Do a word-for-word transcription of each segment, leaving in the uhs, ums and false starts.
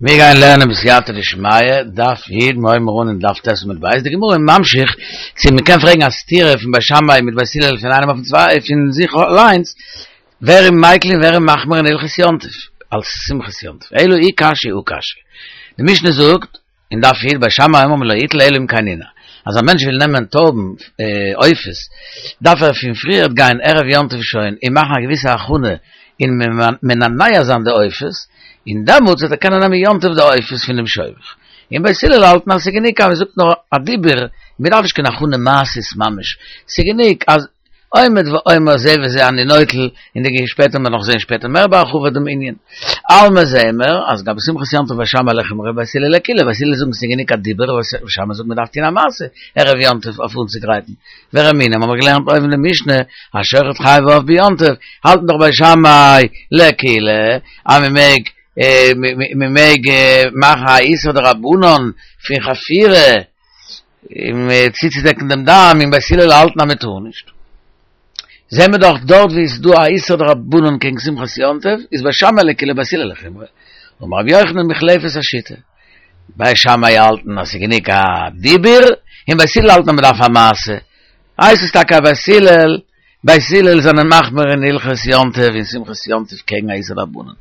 מיר גייען לערנען בסייעתא דשמיא, דף י', מיר הויבן אן אין דף ט' עמוד ב', די גמרא איז ממשיך צו מען קען פרעגן א סתירה פון בית שמאי מיט בית הלל פון איינעם אויפן צוויי פון זיך אליינס, ווער איז מיקל און ווער איז מחמיר אין הלכות יום טוב, אלס שמחת יום טוב, אלא אי קשיא הא קשיא. די משנה זאגט אין דף י' בית שמאי אומרים לא יטול אלא אם כן ננער, אז א מענטש וויל נעמען טויבן עופות, דארף ער פון פריערט גיין ערב יום טוב שוין און מאכן א געוויסע הכנה און מנענע זיין די עופות, און דעמאלטס וועט ער קענען נעמען יום טוב די עופות פון דעם שובך. און בית הלל האלטן אז ס'איז גענוג אז מ'זאגט נאר א דיבור, מ'דארף נישט קיין הכנה מעשית ממש, ס'איז גענוג אז עומד ואומר זה וזה אני נוטל, און די שפעטער מ'וועט נאך זען שפעטער מער בהרחבה דעם ענין. אלמא זעען מיר אז גבי שמחת יום טוב בית שמאי לחומרא בית הלל לקולא, בית הלל זאגן ס'איז גענוג א דיבור, בית שמאי זאגט מ'דארף טון א מעשה ערב יום טוב אויף אנצוגרייטן. ורמינהי האבן מיר געלערנט אויבן די משנה, השוחט חי ועוף ביום טוב, האלטן דאך בית שמאי לקולא אז מ'מעג מ'מעג מאכן א איסור דרבנן פון חפירה און צוצודעקן דעם דם, און בית הלל האלטן אז מ'טאר נישט. זעהן מיר דאך דארט ווי עס איז דא א איסור דרבנן קעגן שמחת יום טוב, איז בית שמאי לקולא בית הלל לחומרא. אמר רבי יוחנן מוחלפת השיטה. בית שמאי האלטן אז ס'איז גענוג א דיבור, און בית הלל האלטן אז מ'דארף א מעשה. הייסט עס טאקע אז בית הלל, בית הלל זענען מחמיר אין הלכות יום טוב און שמחת יום טוב קעגן א איסור דרבנן.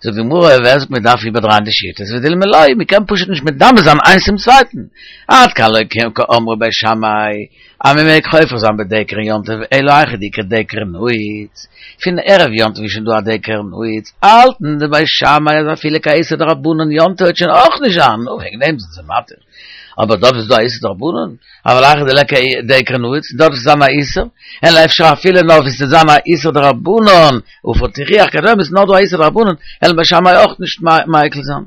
זאגט די גמרא, ווער זאגט מ'דארף איבערדרייען די שיטות, ודילמא לא, מ'קען פשוט נישט מדמה זיין איינס צום צווייטן. עד כאן לא קאמרי בית שמאי, אז מען מעג חופר זיין בדקר אין יום טוב אלא היכא דאיכא דקר נעוץ, פון ערב יום טוב איז שוין דא א דקר נעוץ, האלטן די בית שמאי אז אפילו קיין איסור דרבנן יום טוב וועט שוין אויך נישט זיין, נו וועגן דעם זענען זיי מתיר, אבער דארט איז דא א איסור דרבנן, אבל היכא דליכא דקר נעוץ, דארט וועט זיין א איסור, אלא אפשר אפילו נאר ווי ס'וועט זיין א איסור דרבנן, עפר תוכיח וכדומה איז נאר דא א איסור דרבנן, וועלן בית שמאי אויך נישט מיקל זיין.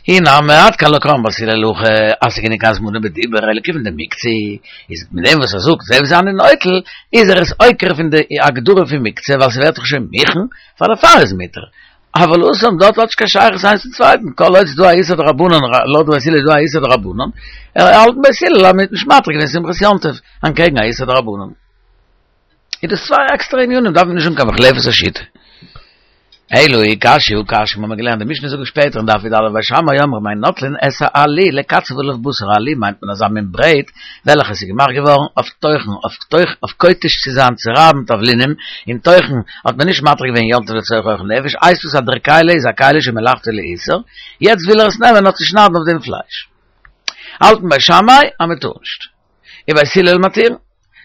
אי נמי עד כאן לא קאמרי בית הלל הכי אז ס'איז גענוג הזמנה בדיבור אלא כיוון דמוקצה איז מיט דעם וואס ער זאגט זה וזה אני נוטל איז ער עס עוקר פון די הגדרה פון מוקצה ווייל ס'ווערט דאך שוין מוכן פאר דערפאר איז מותר אבל התם דארט האט נישט קיין שייכות איינס צום צווייטן כל עוד ס'איז דא א איסור דרבנן לויט בית הלל איז דא א איסור דרבנן האלטן בית הלל אז מ'האט נישט מתיר געווען שמחת יום טוב אנטקעגן א איסור דרבנן. איז דאס צוויי עקסטערע ענינים, דארף מען נישט האבן קיין מוחלפת השיטה. אלא אי קשיא הא קשיא, מ'האמיר געלערנט די משנה זאגט שפעטער אין דף י"א בית שמאי אומרים אין נוטלין את העלי לקצף עליו בשר, עלי מיינט מען אזא מין ברעט וועלכע איז געמאכט געווארן אויף טוחן, אויף טוח, אויף כותש צו זיין צו רייבן תבלינים, און טוחן האט מען נישט מתיר געווען יום טוב לצורך אוכל נפש, הייסט עס אז דער כלי איז א כלי שמלאכתו לאיסור, יעצט וויל ער עס נעמען אויף צו שניידן אויף דעם פלייש. האלטן בית שמאי אז מ'טאר נישט. און בית הלל מתיר.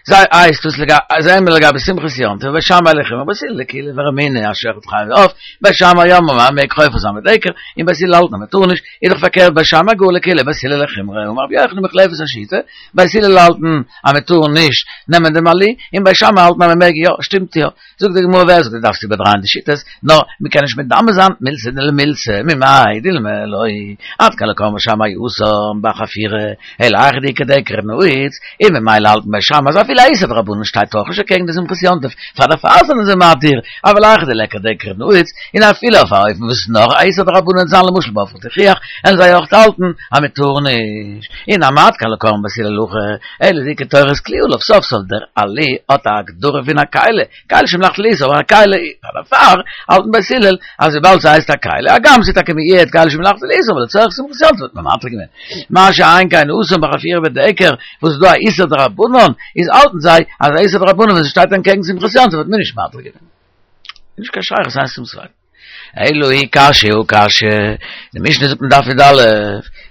זיי הייסט דאס לגבי זעהן מיר לגבי שמחת יום טוב בית שמאי לחומרא בית הלל לקולא ורמינהי השוחט חי ועוף בית שמאי אומרים אז מ'מעג חופר זיין בדקר און בית הלל האלטן אז מ'טאר נישט איז דאך פארקערט בית שמאי גאר לקולא בית הלל לחומרא אמר רבי יוחנן מוחלפת השיטה בית הלל האלטן אז מ'טאר נישט נעמען דעם עלי און בית שמאי האלטן אז מ'מעג יא שטימט יא זאגט די גמרא ווער זאגט דו דארפסט איבערדרייען די שיטות, נאר מען קען נישט מדמה זיין מילתא למילתא, ממאי דילמא לא, עד כאן לא קאמרי בית שמאי התם בחפירה, אלא היכא דאיכא דקר נעוץ, און ממילא האלטן בית שמאי אז אפילו א איסור דרבנן שטייט אויך נישט אקעגן די שמחת יום טוב, פאר דערפאר זענען זיי מתיר, אבל היכא דליכא דקר נעוץ, און אפילו אויף א אופן וואס נאר א איסור דרבנן זיין למשל בעפר תוכיח, וועלן זיי אויך האלטן אז מען טאר נישט, אי נמי עד כאן לא קאמרי בית הלל הכי, אלא דאיכא תורת כלי עליו סוף סוף דער עלי האט א הגדרה פון א כלי, כלי שמלאכתו לאיסור אבער א כלי פאר דערפאר האלטן בית הלל אז וויבאלד ס'הייסט א כלי, הגם ס'איז טאקע מיעוט כלי שמלאכתו לאיסור אבער לצורך שמחת יום טוב האט מען מתיר געווען. מה שאין כן התם בחפירה בדקר וואס איז דא א איסור דרבנן איז האלטן זיי אז א איסור דרבנן ווען ס'שטייט אנטקעגן שמחת יום טוב האט מען נישט מתיר געווען. נישט קיין שייכות איינס צום צווייטן. אלא אי קשיא הא קשיא, די משנה זאגט אין דף י"א,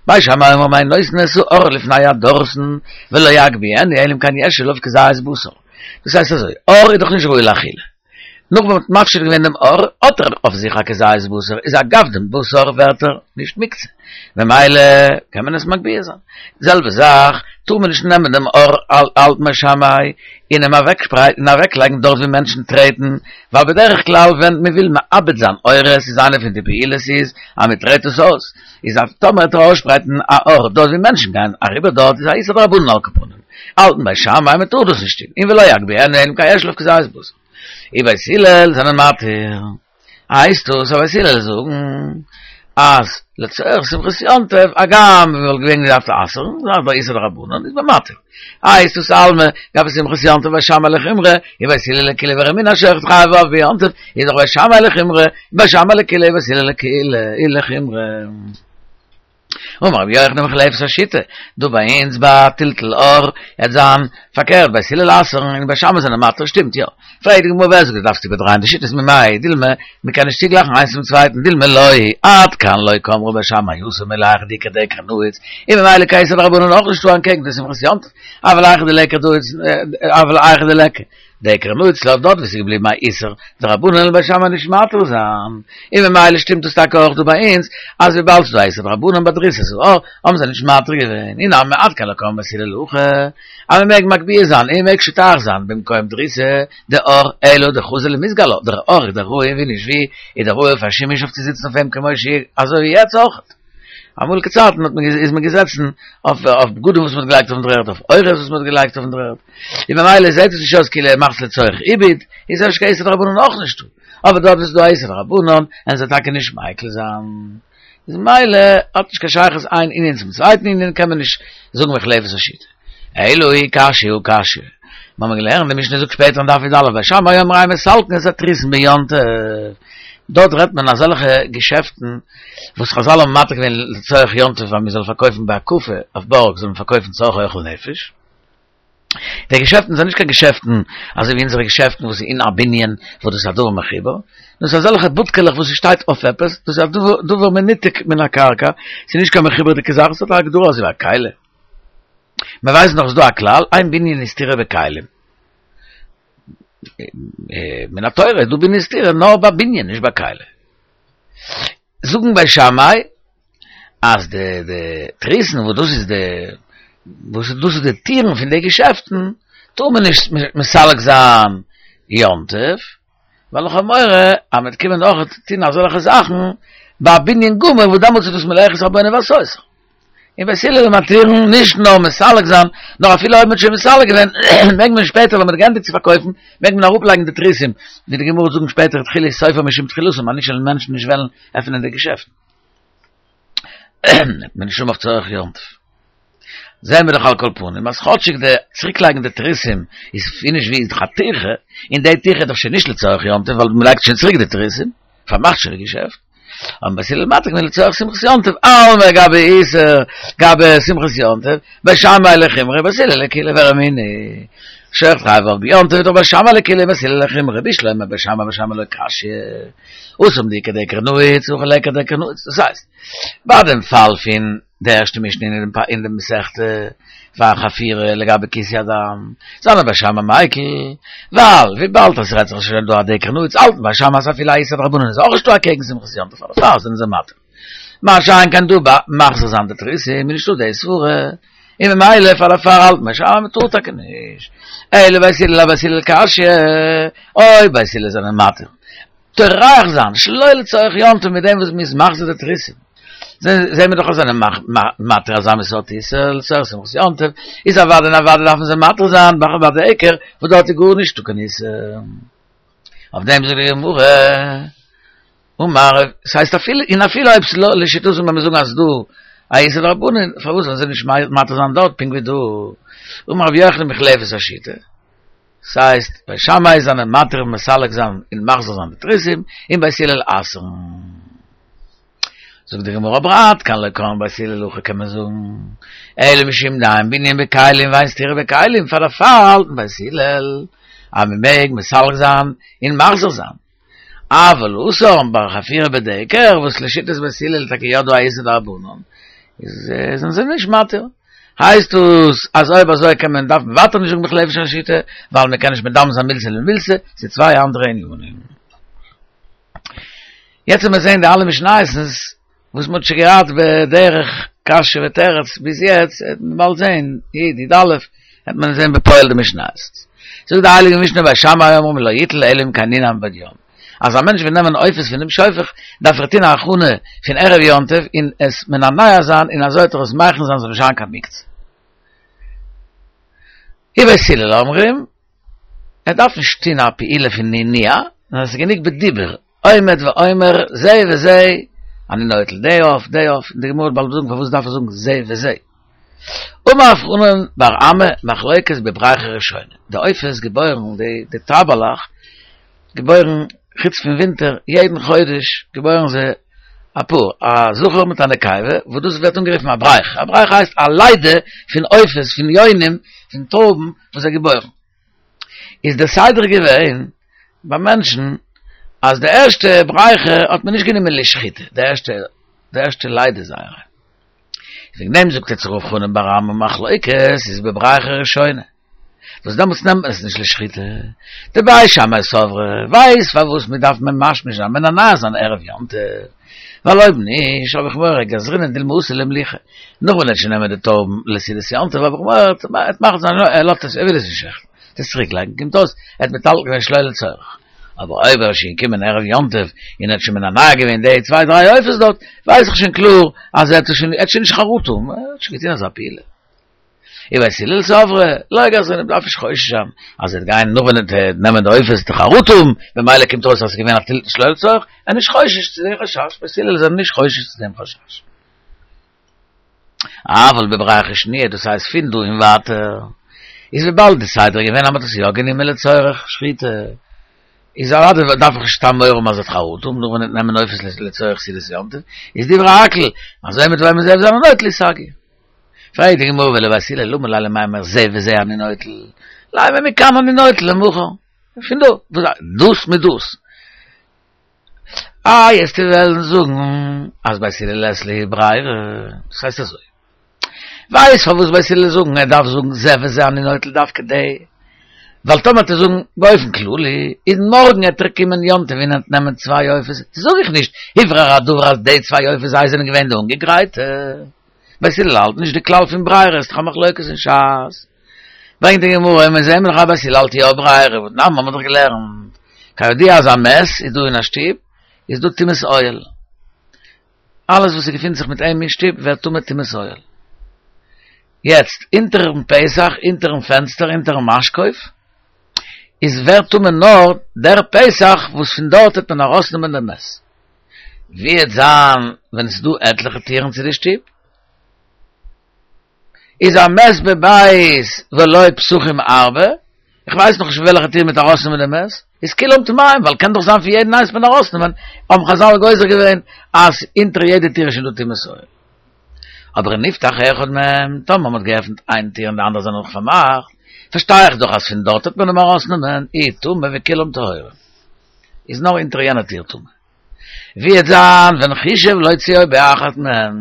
בית שמאי אומרים אין נותנין את העור לפני הדורסן ולא יגביהנו אלא אם כן יש עליו כזית בשר. דאס הייסט אזוי, עור איז דאך נישט ראוי לאכילה. נאך ווען מ'האט מפשיט געווען דעם עור, האט ער אויף זיך א כזית בשר, איז אגב דעם בשר ווערט ער נישט מוקצה, ממילא קען מען עס מגביה זיין. די זעלבע זאך, טאר מען נישט נעמען דעם עור האלט בית שמאי און אים אוועקשפרייטן און אוועקלייגן דארט ווי מענטשן טרעטן, ווייל בדרך כלל ווען מען וויל מאבד זיין עורות איז איינע פון די פעולות איז אז מען טרעט עס אויס, איז אז טאמער וועט ער אויסשפרייטן א עור דארט ווי מענטשן גייען אריבער דארט איז א איסור דרבנן על כל פנים, האלטן בית שמאי מען טאר דאס נישט טון, און ולא יגביהנו אלא אם כן יש עליו כזית בשר. און בית הלל זענען מתיר. הייסט דאס אז בית הלל זאגן אז לצורך שמחת יום טוב, הגם מ'וואלט געווען געדארפט אסר'ן, ס'איז דא איסור דרבנן, איז מען מתיר. איי איז דאס אלמא, גבי שמחת יום טוב בית שמאי לחומרא, ובית הלל לקולא ורמינהו השוחט חייב בעוף ביום טוב, איז דאך בית שמאי לחומרא, בית שמאי לקולא ובית הלל לקולא, לחומרא. אמר רבי יוחנן מוחלפת השיטה, דא ביי אונז ביי טלטול עור, וועט זיין פארקערט, בית הלל אסר'ן און בית שמאי זענען מתיר, שטימט יא? פרעגט די גמרא ווער זאגט דו דארפסט איבערדרייען די שיטות ממאי דילמא, מען קען נישט צוגלייכן איינס צום צווייטן, דילמא לא, עד כאן לא קאמרי בית שמאי התם אלא היכא דאיכא דקר נעוץ, און ממילא קיין איסור דרבנן אויך נישטא אנטקעגן די שמחת יום טוב, אבל היכא דליכא נעוץ, אבל היכא דליכא דקר נעוץ דארט וואו ס'איז געבליבן א איסור דרבנן וועלן בית שמאי נישט מתיר זיין, און ממילא שטימט דאס טאקע אויך דא ביי אונז אז וויבאלד ס'איז דא א איסור דרבנן ביי דריסת העור האבן זיי נישט מתיר געווען, אי נמי עד כאן לא קאמרי בית הלל הכא אז מ'מעג מגביה זיין און מ'מעג שוטח זיין במקום דריסה דעור אלא דחזי למזגא עלה, דער עור איז דאך ראוי ווי נישט ווי איז דאך ראוי פאר שימוש אויף צו זיצן אויף אים כמו שהיא אזוי ווי יעצט אויך. אמאליגע צייטן האט מען איז מען געזעצן אויף אויף בגדים וואס מען האט געלייגט אויפן דר'ערד, אויף עורות וואס מען האט געלייגט אויפן דר'ערד, און ממילא זעט עס נישט אויס כאילו ער מאכט עס לצורך עיבוד, איז אפשר קיין איסור דרבנן אויך נישטא, אבער דארט וואו ס'איז דא א איסור דרבנן, וועלן זיי טאקע נישט מיקל זיין. איז ממילא האט נישט קיין שייכות איין ענין צום צווייטן ענין, קען מען נישט זאגן מוחלפת השיטה. אלא אי קשיא הא קשיא. מיר האבן געלערנט, די משנה זאגט שפעטער אין דף י"א, בית שמאי אומרים אין מסלקין את התריסין ביום טוב. דארט רעדט מען אזעלכע געשעפטן וואס חזל האבן מתיר געווען לצורך יום טוב אז מען זאל פארקויפן בהקפה אויף בארג זאל מען פארקויפן צורכי אוכל נפש. די געשעפטן זענען נישט קיין געשעפטן אזוי ווי אונזערע געשעפטן וואס איז אין א בנין וואס דאס איז א דבר מחובר, דאס איז אזעלכע בודקעלעך וואס ס'שטייט אויף עפעס, דאס איז א דבר מנותק מן הקרקע, ס'איז נישט קיין מחובר'דיגע זאך, עס האט א הגדרה אזוי ווי א כלי. מען ווייסט נאך ס'איז דא א כלל, אין בנין וסתירה בכלים. מן התורה איז דא בנין וסתירה נאר ביי בנין נישט ביי כלי. זאגן בית שמאי אז די די תריסין וואס דאס איז די וואס דאס איז די טירן פון די געשעפטן טאר מען נישט מסלק זיין יום טוב, ווייל איך האב מורא אז מ'וועט קומען אויך טון אזעלכע זאכן ביי א בנין גמור וואס דעמאלטס איז דאס מלאכת הבונה ועשותה. און בית הלל מתירן נישט נאר מסלק זיין, נאר אפילו אויב מ'האט שוין מסלק געווען, מעג מען שפעטער ווען מ'האט געענדיגט צו פארקויפן, מעג מען אראפלייגן די תריסים, ווי די גמרא וועט זאגן שפעטער תחילת סופו משום תחילתו, אז נישט וועלן מענטשן נישט וועלן עפענען די געשעפטן. וועט מען נישט האבן אויף צורך יום טוב. זעהן מיר דאך על כל פנים אז כאטשיג די צוריקלייגן די תריסים איז ווי נישט ווי איז דאך א טירחה, און די טירחה איז דאך שוין נישט לצורך יום טוב ווייל מ'לייגט שוין צוריק די תריסים, פארמאכט שוין די געשעפט. האבן בית הלל מתיר געווען לצורך שמחת יום טוב, אלמא גבי איסור, גבי שמחת יום טוב, בית שמאי לחומרא, בית הלל לקולא ורמינהו, שוחט חייב בעוף ביום טוב, דאך בית שמאי לקולא בית הלל לחומרא, בשלמא בית שמאי אבית שמאי לא קשיא, התם דאיכא דקר נעוץ, הכא ליכא דקר נעוץ, דאס הייסט, ביי דעם פאל פון די ערשטע משנה אין די מסכתא פאר חפירה לגבי כיסוי הדם, זענען בית שמאי מיקל, ווייל וויבאלד עס רעדט זיך שוין דא א דקר נעוץ האלטן בית שמאי אז אפילו א איסור דרבנן איז אויך נישטא אקעגן שמחת יום טוב דערפאר זענען זיי מתיר. מה שאין כן דא ביי מחזיר זיין די תריסים איז נישטא די סברה, און ממילא פאר דערפאר האלטן בית שמאי מ'טאר טאקע נישט, אלא בית הלל אבית הלל קשיא, אויב בית הלל זענען מתיר טורח זיין שלא לצורך יום טוב מיט דעם וואס מ'איז מחזיר די תריסים, זעהן מיר דאך אז זענען מתיר אזא מין סארט איסור לצורך שמחת יום טוב, איז אוודאי און אוודאי דארפן זיי מתיר זיין ביי דקר וואס דארט איז גארנישטא קיין איסור. אויף דעם זאגט די גמרא, אמר, ס'הייסט אפילו, און אפילו אויב ס'איז לשיטתם ווען מיר זאגן אז ס'דא א איסור דרבנן, פארוואס זאלן זיי נישט מתיר זיין דארט פונקט ווי דא? אמר רבי יוחנן מוחלפת השיטה. ס'הייסט, בית שמאי זענען מתיר מסלק זיין און מחזיר זיין די תריסים, און בית הלל אסר'ן. זאגט די גמרא אבער עד כאן לא קאמרי בית הלל הכא קען מען זאגן, אלא משום דאין בנין בכלים ואין סתירה בכלים, פאר דערפאר האלטן בית הלל אז מ'מעג מסלק זיין און מחזיר זיין. אבל התם ביי חפירה בדקר וואס לשיטת בית הלל איז טאקע יא דא א איסור דרבנן, איז זענען זיי נישט מתיר. הייסט עס אז אויב אזוי קען מען דארף מען ווייטער נישט זאגן מוחלפת השיטה, ווייל מען קען נישט מדמה זיין מילתא למילתא, ס'איז צוויי אנדערע ענינים. יעצט ווען מיר זעהן די אלע משניות'נס וואס מ'האט שוין געהאט בדרך קשיא ותירוץ ביז יעצט, וועט מען באלד זעהן י' י"א וועט מען זעהן בפועל די משניות. זאגט די הייליגע משנה בית שמאי אומרים לא יטול אלא אם כן ננען מבעוד יום. אז א מענטש וויל נעמען עופות פונעם שופך, דארף ער טון א הכנה פון ערב יום טוב און עס מנענע זיין און אזוי וועט ער עס מכין זיין ס'זאל נישט זיין קיין מוקצה. ובית הלל אומרים, ער דארף נישט טון א פעולה פון נענוע, נאר עס איז גענוג בדיבור, עומד ואומר זה וזה אני נוטל די עוף, די עוף, די גמרא וועט באלד זאגן פארוואס דארף ער זאגן זה וזה. אמר רב חנן בר אמי מחלוקת בבריכה ראשונה. די עופות געבוירן, די די טייבעלעך געבוירן חוץ פון ווינטער, יעדן חודש געבוירן זיי א פאר, א זכר מיט א נקבה, וואס דאס ווערט אנגערופן א בריכה. א בריכה הייסט א לידה פון עופות, פון יונים, פון טויבן וואס זיי געבוירן. איז דער סדר געווען ביי מענטשן אז די ערשטע בריכה האט מען נישט גענומען לשחיטה, די ערשטע די ערשטע לידה זייערע. וועגן דעם זאגט יעצט רב חנן בר אמי מחלוקת איז בבריכה ראשונה. וואס דעמאלטס נעמט מען עס נישט לשחיטה. דבית שמאי סברי ווייסט פארוואס מען דארף ממשמש זיין מנענע זיין ערב יום טוב. ווייל אויב נישט האב איך מורא גזרינן דילמא אתי לאימלוכי. נאך ווען ער וועט שוין נעמען די טויבן לסעודת יום טוב האב איך מורא ער וועט מאכן זיין ער לאזט עס ער וויל עס נישט שעכטן. עס צוריק לייגן קומט אויס ער האט מטלטל געווען שלא לצורך. אבער אויב ער איז שוין געקומען ערב יום טוב און ער האט שוין מנענע געווען די צוויי דריי עופות דארט, ווייס איך שוין קלאר אז ער האט שוין ער האט שוין נישט חרטה, ער האט שוין געטון אזא פעולה. ובית הלל סברי, לא גזרינן מ'דארף נישט חושש זיין אז ער וועט גיין נאך ווען ער וועט נעמען די עופות וועט ער חרטה האבן, במילא קומט אויס אז עס איז געווען א טלטול שלא לצורך, ער איז נישט חושש צו דעם חשש, בית הלל זענען נישט חושש צו דעם חשש. אבל בבריכה שניה, דאס הייסט פון דא און ווייטער, איז וויבאלד די סדר איז געווען אז מען האט עס יא גענומען לצורך שחיטה, איז אוודאי דארף איך נישט סתם מורא האבן אז ער וועט חרטה האבן נאך ווען ער וועט נעמען עופות לצורך סעודת יום טוב, איז דברי הכל, אז עומד ואומר זה וזה אני נוטל הוא סגי. פרעגט די גמרא ולבית הלל למה ליה למימר זה וזה אני נוטל, לימא מכאן אני נוטל למחר, פון דא, דאס מיט דאס. איי וועסטו וועלן זאגן אז בית הלל לית להו ברירה, דאס הייסט אזוי, ווייסט פארוואס בית הלל זאגן ער דארף זאגן זה וזה אני נוטל דווקא די, ווייל טאמער וועט ער זאגן באופן כללי, איז מארגן עט ער קומען יום טוב און עט נעמען צוויי עופות, זאג איך נישט הוברר הדבר אז די צוויי עופות זיי זענען געווען די אנגעגרייטע, בית הלל האלט נישט די כלל פון ברירה, ס'דאך א מחלוקת אין ש"ס. ברענגט די גמרא און מיר זעהן דאך אז בית הלל האלט יא ברירה, והתנן האבן מיר דאך געלערנט, כידוע אז א מת איז דא אין א שטוב, איז דא טומאת אוהל. אלעס וואס ס'געפינט זיך מיט אים אין שטוב ווערט טמא טומאת אוהל. יעצט, אונטערן פתח, אונטערן פענסטער, אונטערן משקוף, איז ווערט טמא נאר דער פתח וואס פון דארט וועט מען ארויסנעמען דעם מת. ווי וועט זיין ווען עס איז דא עטליכע טירן צו די שטוב? איז המת בבית ולו פתחים הרבה, איך ווייס נאך נישט פון וועלכע טיר מ'וועט ארויסנעמען דעם מת, איז כולם טמאים, ווייל קען דאך זיין פון יעדן איינס מען ארויסנעמען, האבן חזל גוזר געווען אז אונטער יעדע טיר איז שוין דא טומאת אוהל. אבער נפתח אחד מהם, טאמער מ'האט געעפנט איין טיר און די אנדערע זענען נאך פארמאכט, פארשטיי איך דאך אז פון דארט וועט מען אים ארויסנעמען, הוא טמא וכולם טהורים. איז נאר אונטער יענע טיר טמא. ווי וועט זיין ווען חישב להוציאו באחת מהן?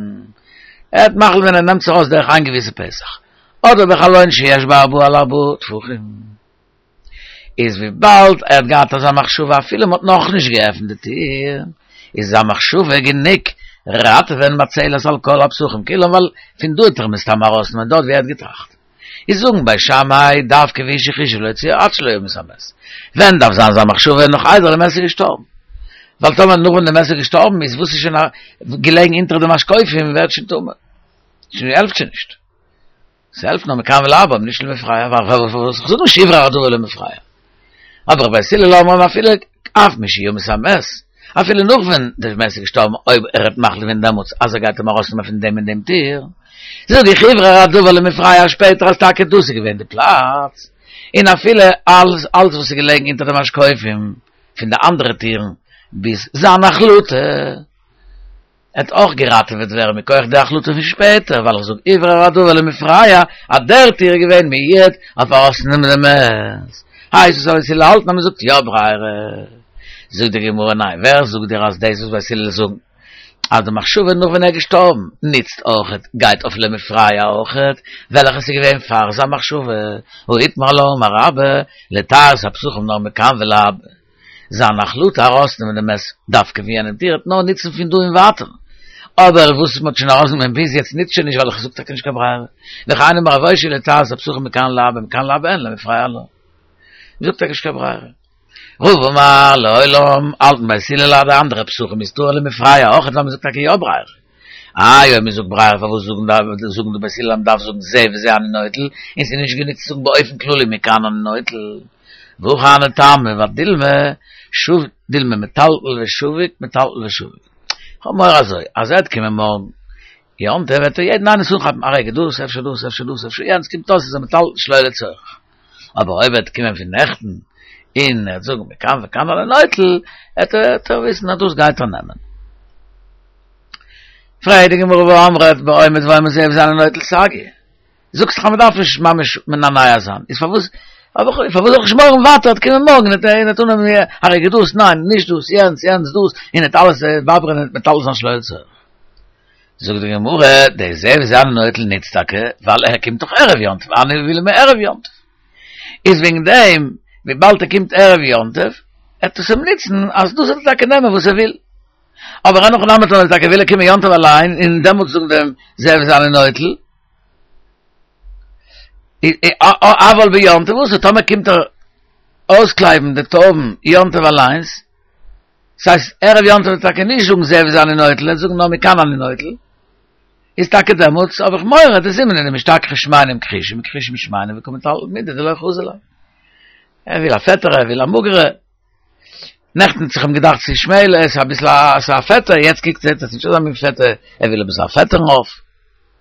ער האט מחליט ווען ער נעמט זיך ארויס דורך איין געוויסע פתח, אדער בחלון שיש בו ארבעה על ארבעה טפחים. איז וויבאלד ער האט געהאט אזא מחשבה אפילו מ'האט נאכנישט געעפנט די טיר, איז זיין מחשבה גענוג ראטעווען מצלת על כל הפתחים כולם ווייל פון דא וועט ער מסתם ארויסנעמען דארט ווי ער האט געטראכט. איז זאגן בית שמאי דווקא והוא שחישב להוציאו עד שלא ימות המת. ווען דארף זיין זיין מחשבה נאך איידער די מת איז געשטארבן? ווייל טאמער נאך ווען די מת איז געשטארבן איז וואס איז שוין געלעגן אונטער די משקופים ווערט שוין טמא. שוין העלפט שוין נישט. ס'העלפט נאר מכאן ולהבא אבער נישט למפרע ווייל כ'זאג נישט הוברר הדבר למפרע. אבער בית הלל אומרים אפילו אף משימות המת, אפילו נאך ווען דער מת איז געשטארבן אויב ער האט מחליט געווען דעמאלטס אז ער גייט אים ארויסנעמען פון דעם און דעם טיר, זאג איך הוברר הדבר למפרע שפעטער אז טאקע דאס איז געווען די פלאץ, און אפילו אלס אלס וואס איז געלעגן אונטער די משקופים פון די אנדערע טירן ביז זיין החלטה. עט אויך געראטעוועט ווערן מכח די החלטה פון שפעטער, ווייל איך זאג הוברר הדבר למפרע אז דער טיר איז געווען מיועד אויף ארויסנעמען די מת, הייסט עס אז בית הלל האלטן אז מען זאגט יא ברירה. זאגט די גמרא ניין, ווער זאגט דיר אז דאס וואס בית הלל זאגן אז די מחשבה נאך ווען ער איז געשטארבן נוצט אויכעט גייט אויף למפרע אויכעט, וועלכעס איז געווען פאר זיין מחשבה, הא איתמר עלה אמר רבה, לטהר את הפתחים נאר מכאן ולהבא. זיין החלטה ארויסנעמען די מת דווקא פון יענעם טיר וועט נאר נוצן פון דא און ווייטער, אבער וואס מ'האט שוין ארויסגענומען ביז יעצט נוצט שוין נישט ווייל איך זאג טאקע נישט קיין ברירה, וכן אמר רב אושעיא לטהר את הפתחים מכאן ולהבא מכאן ולהבא אין למפרע לא. מ'זאגט טאקע נישט קיין ברירה. רבא אמר לעולם האלטן בית הלל אז די אנדערע פתחים איז טהור למפרע אויכעט ווייל מ'זאגט טאקע יא ברירה. איי אויב מ'זאגט ברירה פארוואס זאגן די בית הלל אז מ'דארף זאגן זה וזה אני נוטל און ס'איז נישט גענוג צו זאגן באופן כללי מכאן אני נוטל. והכי הני טעמא ודילמא שוב דילמא מטלטל ושביק מטלטל ושביק. כ'האב מורא אזוי, אז ער וועט קומען מארגן יום טוב וועט ער יעדן איינס אנכאפן, א רגע, דאס, אפשר דאס, אפשר דאס, אפשר יענץ, קומט אויס איז ער מטלטל שלא לצורך. אבער אויב ער וועט קומען פון נעכטן, און ער וועט זאגן מכאן וכאן אני נוטל, וועט ער וויסן אז דאס גייט ער נעמען. פרעגט די גמרא והאמרת בעומד ואומר זה וזה אני נוטל סגי. זאגסט דאך אז מ'דארף נישט ממש מנענע זיין, איז פארוואס פארוואס זאל איך נישט מורא האבן ווייטער וועט קומען מארגן וועט ער וועט אננעמען א רגע דאס ניין נישט דאס יענץ יענץ דאס און וועט אלעס באברענען מטלטל זיין שלא לצורך. זאגט די גמרא, די זה וזה אני נוטל ניצט טאקע ווייל ער קומט דאך ערב יום טוב, הני מילי מערב יום טוב. איז וועגן דעם וויבאלד ער קומט ערב יום טוב וועט עס אים ניצן אז דאס וועט ער טאקע נעמען וואס ער וויל. אבער אין הכי נמי טאמער טאקע וויל ער קומען יום טוב אליין און דעמאלטס זאגן דעם זה וזה אני נוטל. אבל ביום טוב אסור, טאמער קומט ער אויסקלייבן די טויבן יום טוב אליינס, ס'הייסט ערב יום טוב וועט ער טאקע נישט זאגן זה וזה אני נוטל, ער וועט זאגן נאר מכאן אני נוטל, איז טאקע דעמאלטס האב איך מורא דזימנין דמשתכחי שמנים כחושים וכחושים שמנים וקא מטלטל מידי דלא חזי ליה. ער וויל א פעטערע, ער וויל א מאגערע. נעכטן האט זיך אים געדאכט ס'איז שמעלער, ס'איז אביסל א, ס'איז א פעטער, יעצט קוקט זעט ער ס'איז נישט אזא מין פעטער, ער וויל אביסל א פעטערן עוף.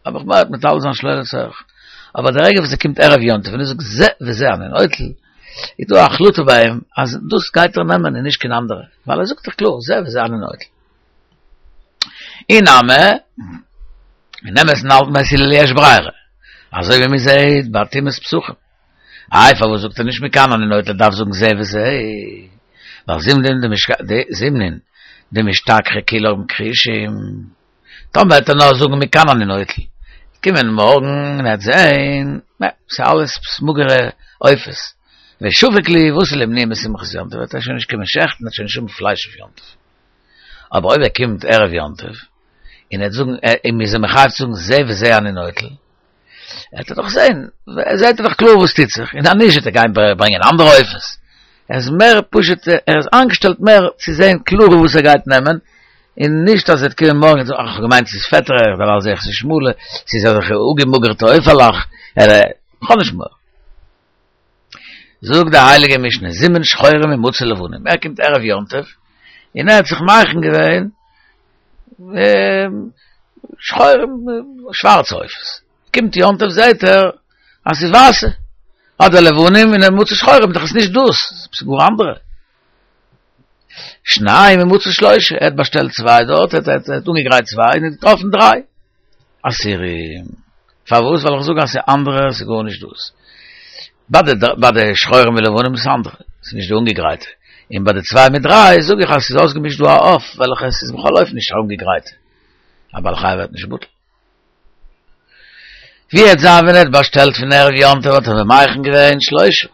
האב איך מורא מטלטל זיין שלא לצורך. אבער די רגע וואס ער קומט ערב יום טוב און ער זאגט זה וזה אני נוטל, איז דא א החלטה ביי אים אז דאס גייט ער נעמען און נישט קיין אנדערע, ווייל ער זאגט דאך קלאר זה וזה אני נוטל. אי נמי, אין אמת'ן האלטן בית הלל יש ברירה, אזוי ווי מען זעט ביי טומאת פסחים. איי פארוואס זאגט ער נישט מכאן אני נוטל ער דארף זאגן זה וזה, ווייל זימנין דמשתכחי כולם כחושים. טאמער וועט ער נאר זאגן מכאן אני נוטל, קומען מארגן און ער וועט זעהן, נע, ס'איז אלעס מאגערע עופות, ושפיק להו ואתי לאימנועי משמחת יום טוב, וועט ער שוין נישט קומען שעכטן, ער וועט שוין נישט האבן פלייש אויף יום טוב. אבער אויב ער קומט ערב יום טוב, און ער וועט זאגן, און מ'איז אים מחייב צו זאגן זה וזה אני נוטל, וועט ער דאך זען, זעט ער דאך קלאר וואס טוט זיך, און אז נישט וועט ער גיין ברענגען אנדערע עופות. ער איז מער פשוט, ער איז איינגעשטעלט מער צו זען קלאר וואס ער גייט נעמען, און נישט אז ער וועט קומען מארגן און זאגן, אך, כ'האב געמיינט ס'איז פעטערע, דערווייל זע איך ס'איז שמאלע, ס'איז אזעלכע אפגעמאגערטע עופה'לעך, כ'האב נישט מורא. זאגט די הייליגע משנה, זימן שחורים ומצא לבנים, ער קומט ערב יום טוב, און ער האט זיך מכין געווען שחורים, שווארצע עופות, קומט יום טוב זעהט ער אז ס'איז ווייסע, אדער לבנים און מצא שחורים, דאך איז נישט דאס, ס'איז גאר אנדערע. שניים ומצא שלושה, ער האט באשטעלט צוויי דארט, ער האט אנגעגרייט צוויי און ער האט געטראפן דריי. אסורים. פארוואס? ווייל איך זאג אז ס'איז אנדערע, ס'איז גארנישט דאס. ביי די ביי די שחורים ולבנים איז אנדערע, ס'איז נישט די אנגעגרייטע. און ביי די צוויי מיט דריי זאג איך אז ס'איז אויסגעמישט דא א עוף וועלכע ס'איז בכל אופן נישט אנגעגרייטע. א בעל חי ווערט נישט בטל. ווי וועט זיין ווען ער האט באשטעלט פון ערב יום טוב האט ער מכין געווען שלושה,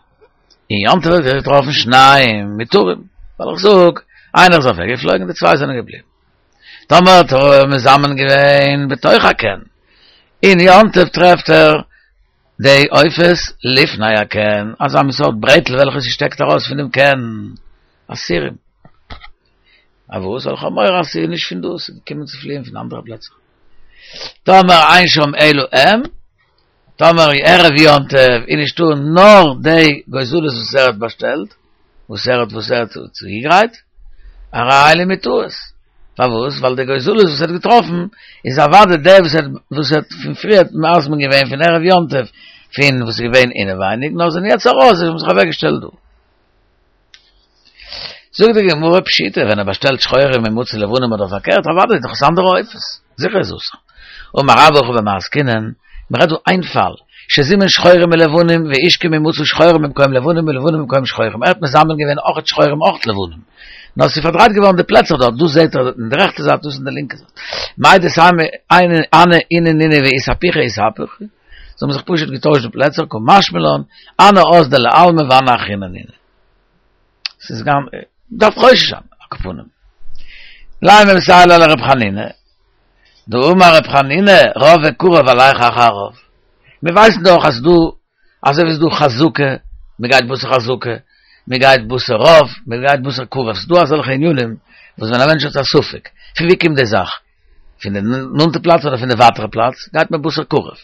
און יום טוב האט ער געטראפן שניים מותרים, ווייל איך זאג, איינער איז אוועק געפלויגן די צוויי זענען געבליבן. טאמער האט ער מזמן געווען בתוך הקן, און יום טוב טרעפט ער די עופות לפני הקן, אזא מין סארט ברעטל וועלכע ס'שטעקט ארויס פון דעם קן, אסורים. פארוואס? ווייל איך האב מורא אז ס'איז נישט פון דא, ס'איז געקומען צו פליען פון אנדערע פלעצער. טאמער אין שם אלא הם, טאמער ערב יום טוב איז נישטא נאר די גוזלות וואס ער האט באשטעלט, וואס ער האט וואס ער האט צוגעגרייט, הרי אלו מותרות. פארוואס? ווייל די גוזלות וואס ער האט געטראפן איז אוודאי די וואס ער וואס ער האט פון פריער מזמין געווען פון ערב יום טוב פון וואס איז געווען אינעווייניג, נאר זענען יעצט ארויס, זיי האבן זיך אוועקגעשטעלט דא. זאגט די גמרא פשיטא, ווען ער באשטעלט שחורים ומצא לבנים אדער פארקערט, אוודאי איז דאך עס אנדערע עופות, זיכער איז אסור. אמר רבה הכא במאי עסקינן, מען רעדט דא איין פאל, שזימן שחורים ולבנים והשכים ומצא שחורים במקום לבנים ולבנים במקום שחורים, ער האט מזמן געווען אויכעט שחורים אויכעט לבנים, נאר עס איז פארדרייט געווארן די פלעצער דארט, דאס זעט ער אין די רעכטע זייט דאס אין די לינקע זייט. מהו דתימא הני אינהו נינהו ואיתהפוכי איתהפכו, זיי האבן זיך פשוט געטוישט די פלעצער, קא משמע לן, הני אזדו לעלמא והני אחריני נינהו. ס'איז גאנ, דארף חושש זיין, על כל פנים. לימא מסייע ליה לר' חנינא, דאמר ר' חנינא, רוב וקרוב הלך אחר הרוב. מיר ווייסן דאך אז דא, אזוי ווי ס'איז דא חזקה, מ'גייט בתר חזקה, מ'גייט בתר רוב, מ'גייט בתר קרוב, ס'איז דא אזעלכע ענינים וואס ווען א מענטש האט א ספק, פון ווי קומט די זאך? פון די נאנטע פלאץ אדער פון די ווייטערע פלאץ, גייט מען בתר קרוב.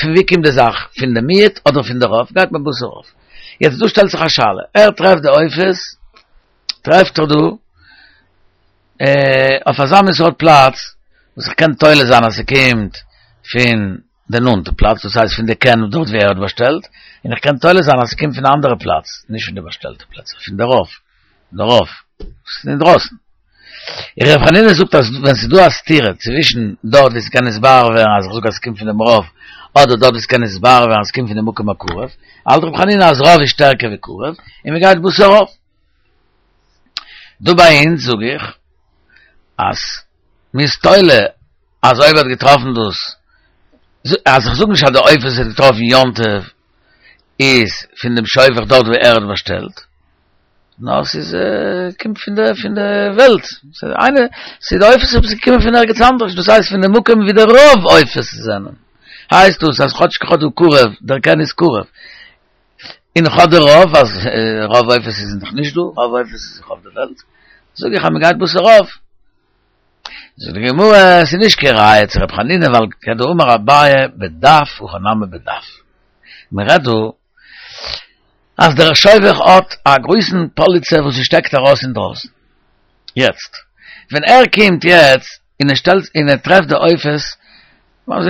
פון ווי קומט די זאך? פון די מיעוט אדער פון די רוב, גייט מען בתר רוב. יעצט דא שטעלט זיך א שאלה, ער טרעפט די עופות, טרעפט ער דא אויף אזא מין סארט פלאץ, וואס איך קען תולה זיין אז ס'קומט פון די נאנטע פלאץ, דאס הייסט פון די קן דארט ווי ער האט באשטעלט, און איך קען תולה זיין אז ס'קומט פון א אנדערע פלאץ, נישט פון די באשטעלטע פלעצער, פון די רוב, די רוב, ס'איז אינדרויסן. ר' חנינא זאגט אז ווען ס'איז דא א סתירה צווישן דארט ווי ס'קען נתברר ווערן אז איך זאג אז ס'קומט פון דעם רוב, אדער דארט ווי ס'קען נתברר ווערן אז ס'קומט פון דעם מקום הקרוב, האלט ר' חנינא אז רוב איז שטערקער ווי קרוב, און מ'גייט בתר רוב. דא ביי אונז זאג איך אז מ'איז תולה אז אויב ער האט געטראפן דאס, אז איך זאג נישט אז די עופות וואס ער האט געטראפן יום טוב איז פון דעם שובך דארט וואו ער האט באשטעלט, נאר ס'איז קומט פון די פון די וועלט, ס'איז איינע, ס'איז די עופות וואס איז געקומען פון ערגעץ אנדערש, דאס הייסט פון די מקום ווי די רוב עופות זענען, הייסט דאס אז כאטש כ'האב דא קרוב, דער קן איז קרוב, און איך האב די רוב, אז רוב עופות איז דאך נישט דא, רוב עופות איז דאך אויף די וועלט, זאג איך אז מ'גייט בתר רוב. זאגט די גמרא, ס'איז נישט קיין ראיה צו ר' חנינא ווייל כדאמר אביי בדף הכא נמי בדף. מ'רעדט דא אז דער שובך האט א גרויסן פאליצע וואס ס'שטעקט ארויס אינדרויסן. יעצט, ווען ער קומט יעצט און ער שטעלט און ער טרעפט די עופות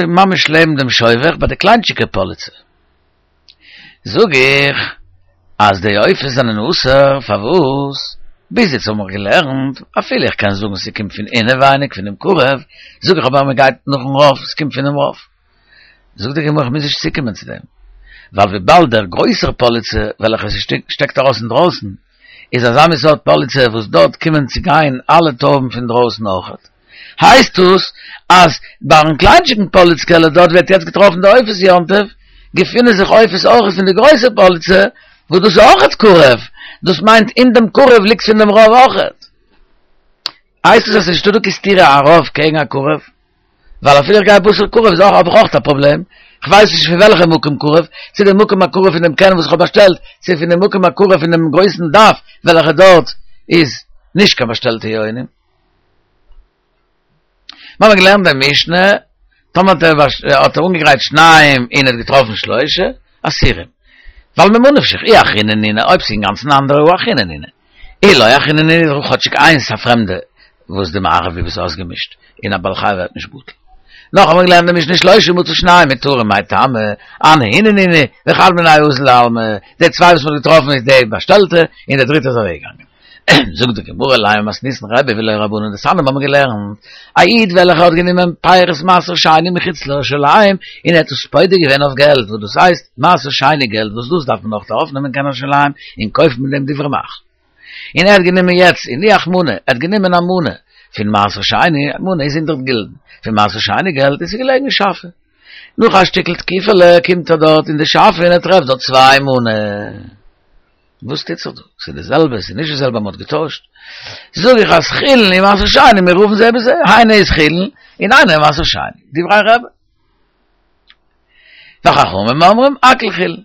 ממש לעבן דעם שובך ביי די קליינטשיקע פאליצע, זאג איך אז די עופות זענען אסור, פארוואס? ביז יעצט האבן מיר געלערנט, אפילו איך קען זאגן ס'קומט פון אינעווייניג פונעם קרוב, זאג איך אבער מ'גייט נאכן רוב, ס'קומט פונעם רוב. זאגט די גמרא איך מוז נישט צוקומען צו דעם, ווייל וויבאלד דער גרויסער פאליצע וועלכע ס'שטעקט ארויס אינדרויסן, איז אזא מין סארט פאליצע וואס דארט קומען צו גיין אלע טויבן פון דרויסן אויכעט, הייסט דאס אז ביים קליינטשיגן פאליצקעלע דארט ווי ער האט יעצט געטראפן די עופות יום טוב, געפינען זיך עופות אויכעט פון די גרויסע פאליצע, וואס דאס איז אויכעט קרוב, דאס מיינט אין דעם קרוב ליגט פון דעם רוב אויכעט. הייסט עס אז ס'איז נישטא דא קיין סתירה א רוב קעגן א קרוב? ווייל אפילו איך גיי בתר קרוב איז אויך האב איך אויך א פראבלעם, כ'ווייס נישט פון וועלכע מקום קרוב, צו די מקום הקרוב פון דעם קן וואס איך האב באשטעלט, צו פון די מקום הקרוב פון דעם גרויסן דף וועלכע דארט איז נישט קיין באשטעלטע יונים. מיר האבן געלערנט די משנה, טאמער האט ער האט ער אנגעגרייט שניים און ער האט געטראפן שלושה, אסורים. ווייל ממה נפשך, אי אחריני נינהו, אויב ס'איז אינגאנצן אנדערע הא אחריני נינהו. אי לא אחריני נינהו איז כאטשיג איינס א פרעמדע וואס די מערב איז אויסגעמישט און א בעל חי ווערט נישט בטל. נאך האבן מיר געלערנט די משנה שלושה ומצא שניים מותרים מאי טעמא, הנהו נינהו וחד מינייהו אזל לעלמא, די צוויי וואס מ'האט געטראפן איז די באשטעלטע און די דריטע איז אוועקגעגאנגען. זאגט די גמרא לימא מתניתין רבי ולא רבנן דתניא האבן מיר געלערנט א איד וועלכער האט גענומען פירות מעשר שני מחוץ לירושלים און ער האט עס פודה געווען אויף געלט וואס דאס הייסט מעשר שני געלט וואס דאס דארף מען נאך ארויפנעמען קיין ירושלים און קויפן מיט דעם דברי מאכל און ער האט גענומען יעצט הניח מנה ער האט גענומען א מנה פון מעשר שני א מנה איז הונדערט גילדן פון מעשר שני געלט און ס'איז געלעגן אין שאפע נאך א שטיקל תקופה'לע קומט ער דארט אין די שאפע און ער טרעפט דארט צוויי מנה. וואס טוט זיך דא? ס'איז די זעלבע, ס'איז נישט די זעלבע, מ'האט געטוישט. זאג איך אז חולין און מעשר שני מעורבין זה בזה, איינע איז חולין און איינע איז מעשר שני, דברי רבי. וחכמים אומרים הכל חולין.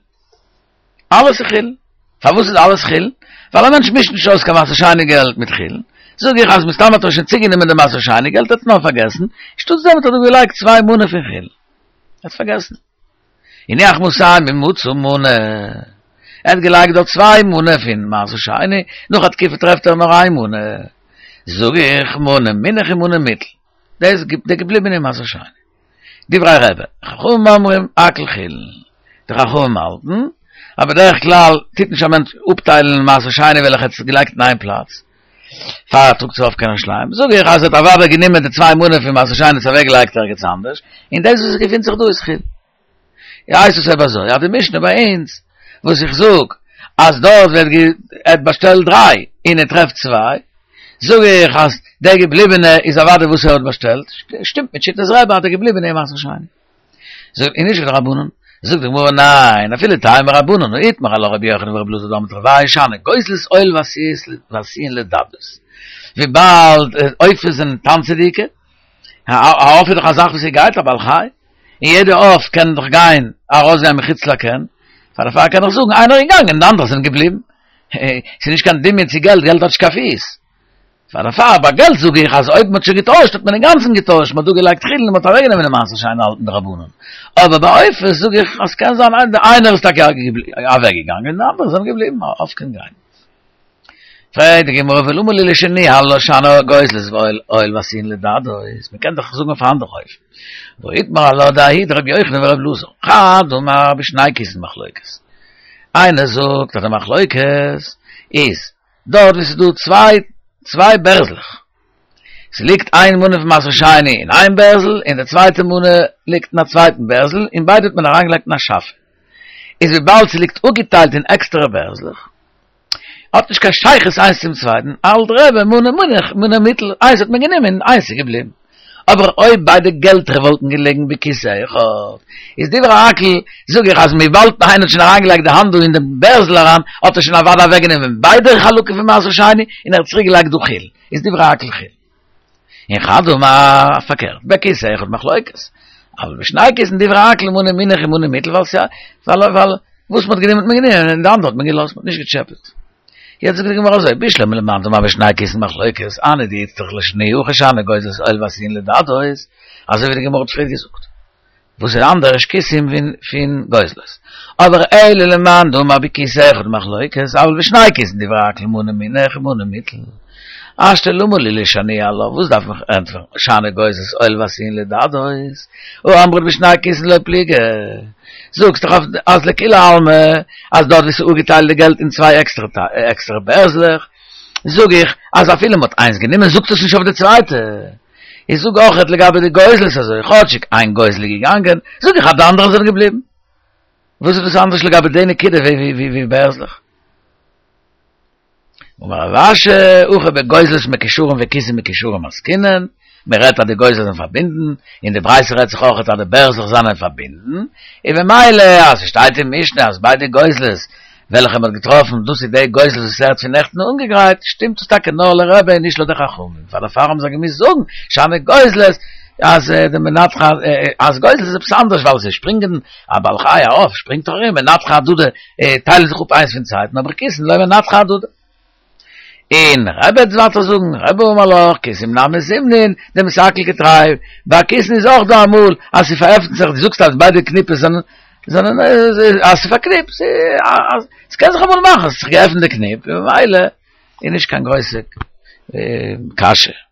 אלעס איז חולין. פארוואס איז אלעס חולין? ווייל א מענטש מישט נישט אויס קיין מעשר שני געלט מיט חולין. זאג איך אז מסתם האט ער שוין צוגענומען די מעשר שני געלט, ער האט נאר פארגעסן, שטאטס דעם האט ער דא געלייגט צוויי מנה פון חולין. ער האט פארגעסן. הניח מאתים ומצא מנה, ער האט געלייגט דארט צוויי מנה פון מעשר שני, נאך א תקופה טרעפט ער נאר איין מנה, זאג איך מנה מונח ומנה מוטל, דאס איז די געבליבענע מעשר שני. דברי רבי, חכמים אומרים הכל חולין, די חכמים האלטן אז בדרך כלל טוט נישט א מענטש אפטיילן מעשר שני וועלכע ער האט געלייגט אין איין פלאץ, פאר ער טראגט עס ארויף קיין ירושלים, זאג איך אז ער האט אוודאי גענומען די צוויי מנה פון מעשר שני און עס אוועקגעלייגט ערגעץ אנדערש, און דאס וואס עס געפינט זיך דא איז חולין. הייסט עס אויב אזוי אז די משנה ביי אונז וואס איך זאג אז דארט ווערט גע ער האט באשטעלט דריי און ער טרעפט צוויי, זאג איך אז דער געבליבענע איז אוודאי וואס ער האט באשטעלט, שטימט מיט שיטת רבי אז דער געבליבענע איז מעשר שני. זאג און נישט ווי די רבנן, זאגט די גמרא ניין, אפילו תימא רבנן, הא איתמר עלה רבי יוחנן ורבי אלעזר דאמרי תרוייהו שאני גוזלות עול ועשויין לדדות, וויבאלד עופות זענען טאנצעדיגע, א עוף איז דאך א זאך וואס גייט א בעל חי, און יעדע עוף קען דאך גיין ארויסגיין מחוץ לקן, פאר דערפאר קען איך זאגן איינער איז געגאנגען און די אנדערע זענען געבליבן, ס'איז נישט קיין דמיון צו געלט, געלט האט נישט קיין פיס. פאר דערפאר ביי געלט זאג איך אז אויב מ'האט שוין געטוישט האט מען אינגאנצן געטוישט, מ'האט דא געלייגט חולין און מ'האט אוועקגענומען די מעשר שני האלטן די רבנן. אבער ביי עופות זאג איך אז ס'קען זיין איינער איז טאקע אוועקגעגאנגען און די אנדערע זענען געבליבן, א עוף קען גיין. פרעגט די גמרא ולמה לי לשניהלה שאני גוזלות ואוהל ועשאוהן לדדות, מ'קען דאך זאגן אויף א אנדערע אופן. והא איתמר עלה דההיא דרבי יוחנן ורבי אלעזר, חד אמר בשני כיסין מחלוקת. איינער זאגט אז די מחלוקת איז דארט וואו ס'איז דא צוויי צוויי בערזלעך. ס'ליגט איין מנה פון מעשר שני אין איין בערזל און די צווייטע מנה ליגט אין א צווייטן בערזל און ביידע האט מען אריינגעלייגט אין א שאפע. איז וויבאלד ס'ליגט אפגעטיילט אין עקסטערע בערזלעך, האט נישט קיין שייכות איינס צום צווייטן, האלט רבי מנה מונח מנה מוטל, איינס האט מען גענומען און איינס איז געבליבן. אבער אויב ביידע געלטער וואלטן געלעגן בכיס אחד, איז דברי הכל, זאג איך אז וויבאלד איינער האט שוין אריינגעלייגט די האנט דא אין דעם בערזל אריין, האט ער שוין אוודאי אוועקגענומען ביידע חלקים פון מעשר שני און ער האט צוריקגעלייגט דא חולין, איז דברי הכל חולין. און חד אמר פארקערט, בכיס אחד מחלוקת, אבל בשני כיסין דברי הכל מנה מונח און מנה מוטל, ווייל ס'איז ווייל ווייל וואס מ'האט גענומען האט מען גענומען און די אנדערע האט מען געלאזט, מ'האט נישט געטשעפעט. יעצט זאגט די גמרא אזוי, בשלמא למאן דאמר בשני כיסין מחלוקת, הני דאיצטריך לשנויי הכא שאני גוזלות אוהל ועשאוהן לדדות, אזוי ווי די גמרא האט פריער געזאגט, וואס איז אנדערש כיסים פון גוזלות. אבער אלא למאן דאמר בכיס אחד מחלוקת, אבל בשני כיסין דברי הכל מנה מונח ומנה מוטל. השתא למה לי לשנויי עלה, וואס דארף מען ענטפערן, שאני גוזלות אוהל ועשאוהן לדדות, הא אמרת בשני כיסין לא פליגי. זאגסט דאך אז לכולי עלמא אז דארט ווי ס'איז אפגעטיילט די געלט אין צוויי עקסטערע בערזלעך, זאג איך אז אפילו מ'האט איינס גענומען זאגט עס נישט אויף די צווייטע. איך זאג אויכעט לגבי די גוזלות אזוי, כאטשיג איין גוזל איז געגאנגען, זאג איך אז די אנדערע זענען געבליבן. וואס איז דאס אנדערש לגבי די נקודה ווי בערזלעך? אמר רב אשי, הכא בגוזלות מקושרים וכיסין מקושרים עסקינן, מען רעדט אז די גוזלות זענען פארבינדן, און די ברייתא רעדט זיך אויך אז די בערזלעך זענען פארבינדן, און במילא אז ס'שטייט אין משנה אז ביידע גוזלות וועלכע מען האט געטראפן דאס איז די גוזלות וואס ער האט פון נעכטן אנגעגרייט, שטימט עס טאקע נאר לרבי און נישט לויט די חכמים, פאר דערפאר האבן זיי געמוזט זאגן שאני גוזלות אז די מנתחא אז גוזלות איז עפעס אנדערש ווייל זיי שפרינגען א בעל חי א עוף שפרינגט דאך ארום מנתחא אהדדי טיילן זיך אפ איינס פון צווייטן אבער כיסין לא מנתחא אהדדי. און רבי וועט ווייטער זאגן, רבי אמר לך, כיסים נמי זימנין, דמסתכל כתרי, ביי כיסין איז אויך דא אמאל אז ס'פארעפנט זיך, דו זאגסט אז ביידע קניפעס זענען, זענען, אז ס'פארקניפט, ס'קען זיך אמאל מאכן אז ס'האט זיך געעפנט די קניפ, און ממילא איז נישט קיין גרויסע קשיא.